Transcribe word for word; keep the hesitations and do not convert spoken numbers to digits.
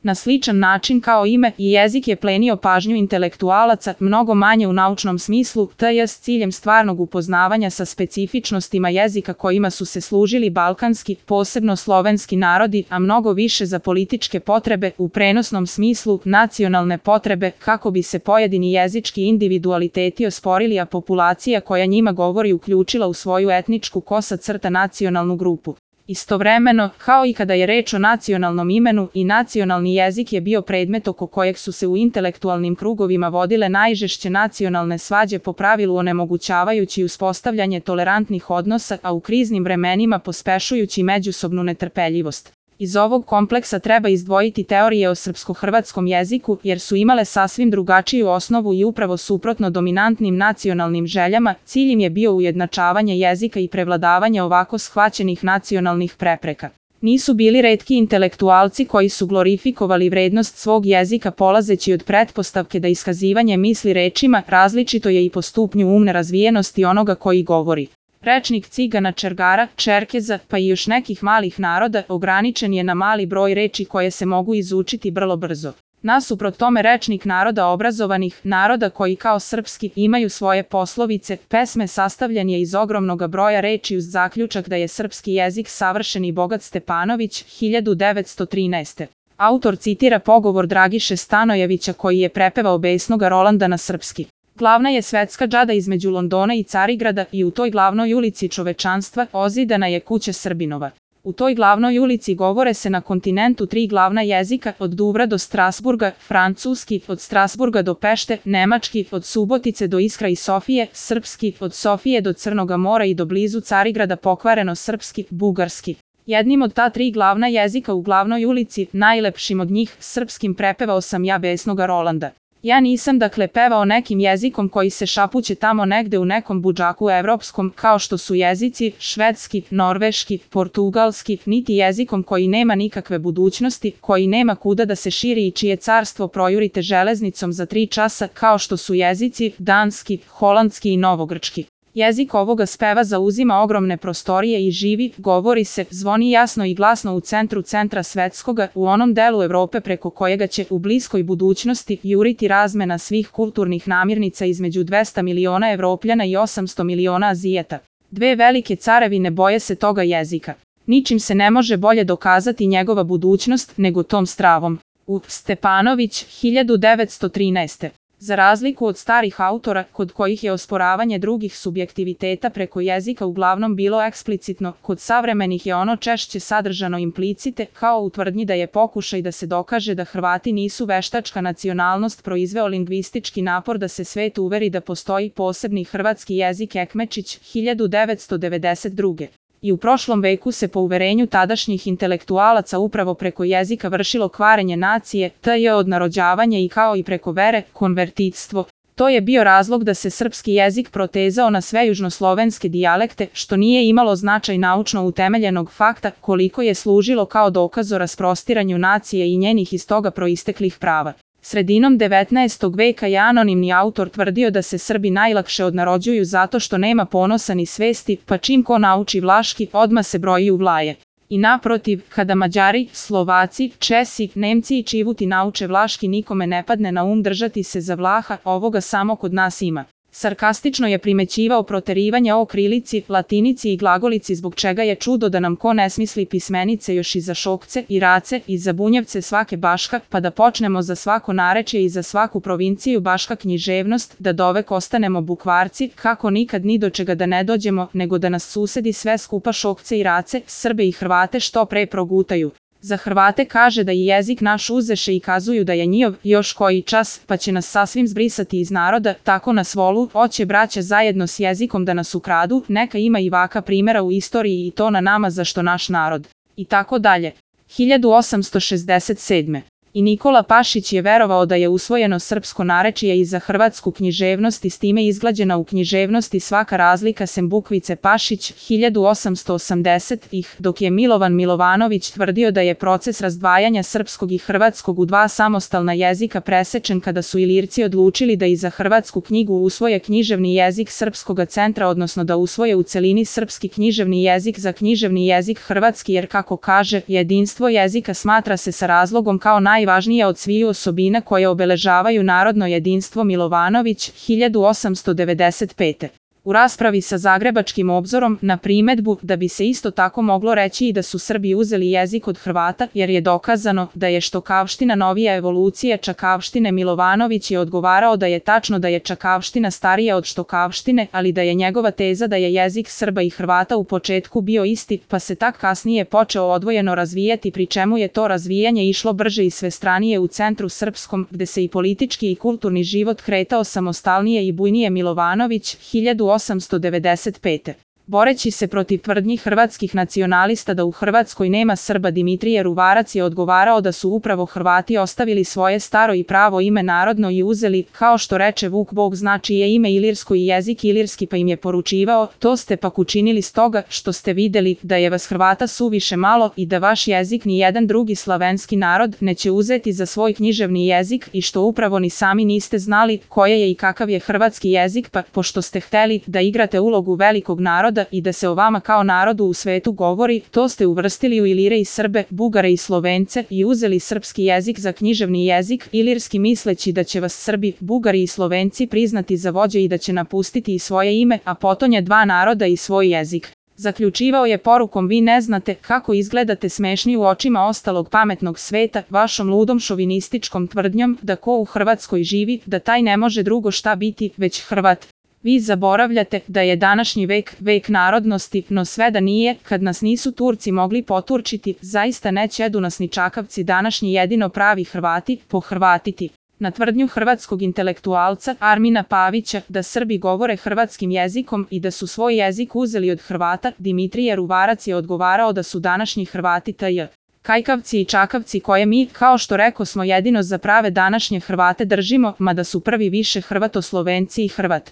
Na sličan način kao ime i jezik je plenio pažnju intelektualaca, mnogo manje u naučnom smislu, te s ciljem stvarnog upoznavanja sa specifičnostima jezika kojima su se služili balkanski, posebno slovenski narodi, a mnogo više za političke potrebe, u prenosnom smislu, nacionalne potrebe, kako bi se pojedini jezički individualiteti osporili, a populacija koja njima govori uključila u svoju etničku kosa crta nacionalnu grupu. Istovremeno, kao i kada je reč o nacionalnom imenu, i nacionalni jezik je bio predmet oko kojeg su se u intelektualnim krugovima vodile najžešće nacionalne svađe, po pravilu onemogućavajući uspostavljanje tolerantnih odnosa, a u kriznim vremenima pospešujući međusobnu netrpeljivost. Iz ovog kompleksa treba izdvojiti teorije o srpsko-hrvatskom jeziku, jer su imale sasvim drugačiju osnovu i upravo suprotno dominantnim nacionalnim željama, cilj im je bio ujednačavanje jezika i prevladavanje ovako shvaćenih nacionalnih prepreka. Nisu bili retki intelektualci koji su glorifikovali vrednost svog jezika polazeći od pretpostavke da iskazivanje misli rečima različito je i po stupnju umne razvijenosti onoga koji govori. Rečnik Cigana, Čergara, Čerkeza, pa i još nekih malih naroda ograničen je na mali broj reči koje se mogu izučiti vrlo brzo. Nasuprot tome rečnik naroda obrazovanih, naroda koji kao srpski imaju svoje poslovice, pesme sastavljen je iz ogromnog broja reči uz zaključak da je srpski jezik savršen i bogat. Stepanović, hiljadu devetsto trinaeste. Autor citira pogovor Dragiše Stanojevića koji je prepevao besnoga Rolanda na srpski. Glavna je svetska džada između Londona i Carigrada i u toj glavnoj ulici čovečanstva ozidana je kuća Srbinova. U toj glavnoj ulici govore se na kontinentu tri glavna jezika, od Duvra do Strasburga, francuski, od Strasburga do Pešte, nemački, od Subotice do Iskra i Sofije, srpski, od Sofije do Crnoga mora i do blizu Carigrada pokvareno srpski, bugarski. Jednim od ta tri glavna jezika u glavnoj ulici, najlepšim od njih, srpskim, prepevao sam ja besnoga Rolanda. Ja nisam dakle pevao nekim jezikom koji se šapuće tamo negde u nekom budžaku evropskom, kao što su jezici švedski, norveški, portugalski, niti jezikom koji nema nikakve budućnosti, koji nema kuda da se širi i čije carstvo projurite železnicom za tri časa, kao što su jezici danski, holandski i novogrčki. Jezik ovoga speva zauzima ogromne prostorije i živi, govori se, zvoni jasno i glasno u centru centra svetskoga, u onom delu Evrope preko kojega će u bliskoj budućnosti juriti razmena svih kulturnih namirnica između dvesta miliona Evropljana i osamsto miliona Azijeta. Dve velike carevine boje se toga jezika. Ničim se ne može bolje dokazati njegova budućnost nego tom stravom. U Stepanović, hiljadu devetsto trinaeste. Za razliku od starih autora, kod kojih je osporavanje drugih subjektiviteta preko jezika uglavnom bilo eksplicitno, kod savremenih je ono češće sadržano implicite, kao u tvrdnji da je pokušaj da se dokaže da Hrvati nisu veštačka nacionalnost proizveo lingvistički napor da se svet uveri da postoji posebni hrvatski jezik. Ekmečić, hiljadu devetsto devedeset druge. I u prošlom veku se po uverenju tadašnjih intelektualaca upravo preko jezika vršilo kvarenje nacije, te je odnarođavanje i kao i preko vere, konvertitstvo. To je bio razlog da se srpski jezik protezao na sve južnoslovenske dijalekte, što nije imalo značaj naučno utemeljenog fakta, koliko je služilo kao dokaz o rasprostiranju nacije i njenih iz toga proisteklih prava. Sredinom devetnaestog veka je anonimni autor tvrdio da se Srbi najlakše odnarođuju zato što nema ponosa ni svesti, pa čim ko nauči vlaški, odmah se broji u Vlaje. I naprotiv, kada Mađari, Slovaci, Česi, Nemci i Čivuti nauče vlaški, nikome ne padne na um držati se za Vlaha, ovoga samo kod nas ima. Sarkastično je primećivao proterivanje o krilici, latinici i glagolici, zbog čega je čudo da nam ko ne smisli pismenice još i za Šokce, i Race, i za Bunjevce svake Baška, pa da počnemo za svako narečje i za svaku provinciju Baška književnost, da dovek ostanemo bukvarci, kako nikad ni do čega da ne dođemo, nego da nas susedi sve skupa Šokce i Race, Srbe i Hrvate što pre progutaju. Za Hrvate kaže da i jezik naš uzeše i kazuju da je njihov još koji čas, pa će nas sasvim zbrisati iz naroda, tako nas volu, hoće braća zajedno s jezikom da nas ukradu, neka ima i vaka primjera u istoriji i to na nama zašto naš narod. I tako dalje. hiljadu osamsto šezdeset sedme. I Nikola Pašić je verovao da je usvojeno srpsko narečje i za hrvatsku književnost i s time izglađena u književnosti svaka razlika sem bukvice Pašić, hiljadu osamsto osamdesetih, dok je Milovan Milovanović tvrdio da je proces razdvajanja srpskog i hrvatskog u dva samostalna jezika presečen kada su Ilirci odlučili da i za hrvatsku knjigu usvoje književni jezik Srpskoga centra, odnosno da usvoje u celini srpski književni jezik za književni jezik hrvatski, jer kako kaže, jedinstvo jezika smatra se sa razlogom kao naj najvažnija od sviju osobina koje obeležavaju narodno jedinstvo Milovanović, hiljadu osamsto devedeset pete. U raspravi sa Zagrebačkim obzorom na primedbu da bi se isto tako moglo reći i da su Srbi uzeli jezik od Hrvata jer je dokazano da je štokavština novija evolucija čakavštine, Milovanović je odgovarao da je tačno da je čakavština starija od štokavštine, ali da je njegova teza da je jezik Srba i Hrvata u početku bio isti, pa se tak kasnije počeo odvojeno razvijati, pri čemu je to razvijanje išlo brže i svestranije u centru srpskom, gde se i politički i kulturni život kretao samostalnije i bujnije. Milovanović, hiljadu osamsto devedeset pete. Boreći se protiv tvrdnji hrvatskih nacionalista da u Hrvatskoj nema Srba, Dimitrije Ruvarac je odgovarao da su upravo Hrvati ostavili svoje staro i pravo ime narodno i uzeli, kao što reče Vuk, Bog znači je ime ilirsko i jezik ilirski, pa im je poručivao, to ste pak učinili stoga što ste videli da je vas Hrvata suviše malo i da vaš jezik ni jedan drugi slavenski narod neće uzeti za svoj književni jezik i što upravo ni sami niste znali koje je i kakav je hrvatski jezik, pa pošto ste hteli da igrate ulogu velikog naroda i da se o vama kao narodu u svetu govori, to ste uvrstili u Ilire i Srbe, Bugare i Slovence i uzeli srpski jezik za književni jezik ilirski, misleći da će vas Srbi, Bugari i Slovenci priznati za vođe i da će napustiti i svoje ime, a potonje dva naroda i svoj jezik. Zaključivao je porukom: vi ne znate kako izgledate smešni u očima ostalog pametnog sveta, vašom ludom šovinističkom tvrdnjom da ko u Hrvatskoj živi, da taj ne može drugo šta biti, već Hrvat. Vi zaboravljate da je današnji vek, vek narodnosti, no sve da nije, kad nas nisu Turci mogli poturčiti, zaista ne ćedu nas ni čakavci današnji jedino pravi Hrvati pohrvatiti. Na tvrdnju hrvatskog intelektualca Armina Pavića da Srbi govore hrvatskim jezikom i da su svoj jezik uzeli od Hrvata, Dimitrije Ruvarac je odgovarao da su današnji Hrvati taj kajkavci i čakavci koje mi, kao što reko, smo jedino za prave današnje Hrvate držimo, mada su prvi više Hrvatoslovenci i Hrvat.